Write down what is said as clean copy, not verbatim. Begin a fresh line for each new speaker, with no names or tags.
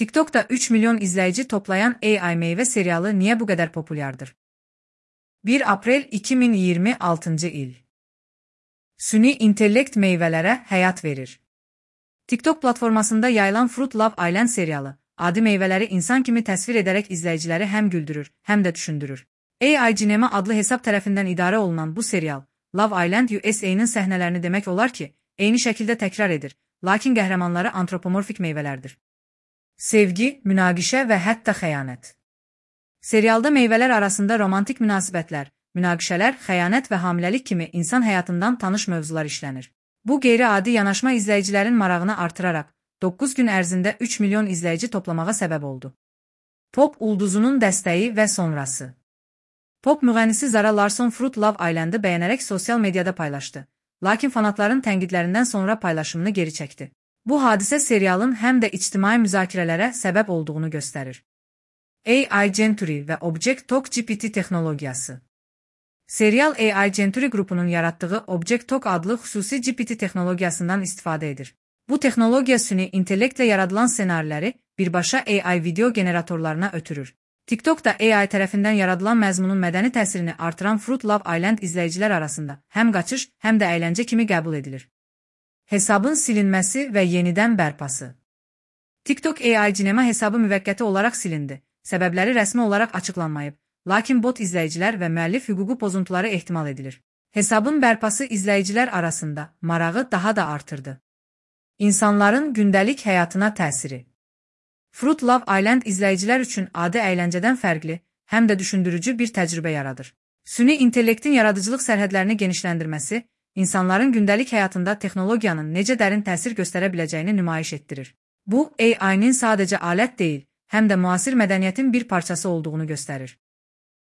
TikTok'ta 3 milyon izleyici toplayan AI meyve serialı niye bu kadar popülerdir? 1 April 2026 il. Süni intellekt meyvelere hayat verir. TikTok platformasında yayılan Fruit Love Island serialı, adi meyveleri insan kimi təsvir ederek izleyicileri hem güldürür, hem de düşündürür. AI Cinema adlı hesap tərəfindən idarə olunan bu serial, Love Island USA'nın səhnələrini demək olar ki, eyni şəkildə təkrar edir, lakin qəhrəmanları antropomorfik meyvələrdir. Sevgi, münaqişə və hətta xəyanət. Serialda meyvələr arasında romantik münasibətlər, münaqişələr, xəyanət və hamiləlik kimi insan həyatından tanış mövzular işlənir. Bu qeyri-adi yanaşma izləyicilərin marağını artıraraq, 9 gün ərzində 3 milyon izləyici toplamağa səbəb oldu. Pop ulduzunun dəstəyi və sonrası. Pop müğənnisi Zara Larsson Fruit Love Island'ı bəyənərək sosial mediada paylaşdı, lakin fanatların tənqidlərindən sonra paylaşımını geri çəkdi. Bu hadisə serialın həm də ictimai müzakirələrə səbəb olduğunu göstərir. AI Genturi və Object Talk GPT texnologiyası. Serial AI Genturi qrupunun yaratdığı Object Talk adlı xüsusi GPT texnologiyasından istifadə edir. Bu texnologiya süni intellektlə yaradılan ssenariləri birbaşa AI video generatorlarına ötürür. TikTok'da AI tərəfindən yaradılan məzmunun mədəni təsirini artıran Fruit Love Island izləyicilər arasında həm qaçış, həm də əyləncə kimi qəbul edilir. Hesabın silinməsi və yenidən bərpası. TikTok AI Cinema hesabı müvəqqəti olaraq silindi. Səbəbləri rəsmi olaraq açıqlanmayıb, lakin bot izləyicilər və müəllif hüququ pozuntuları ehtimal edilir. Hesabın bərpası izləyicilər arasında marağı daha da artırdı. İnsanların gündəlik həyatına təsiri. Fruit Love Island izləyicilər üçün adi əyləncədən fərqli, həm də düşündürücü bir təcrübə yaradır. Süni intellektin yaradıcılıq sərhədlərini genişləndirməsi, insanların gündəlik həyatında texnologiyanın necə dərin təsir göstərə biləcəyini nümayiş etdirir. Bu, AI-nin sadəcə alət deyil, həm də müasir mədəniyyətin bir parçası olduğunu göstərir.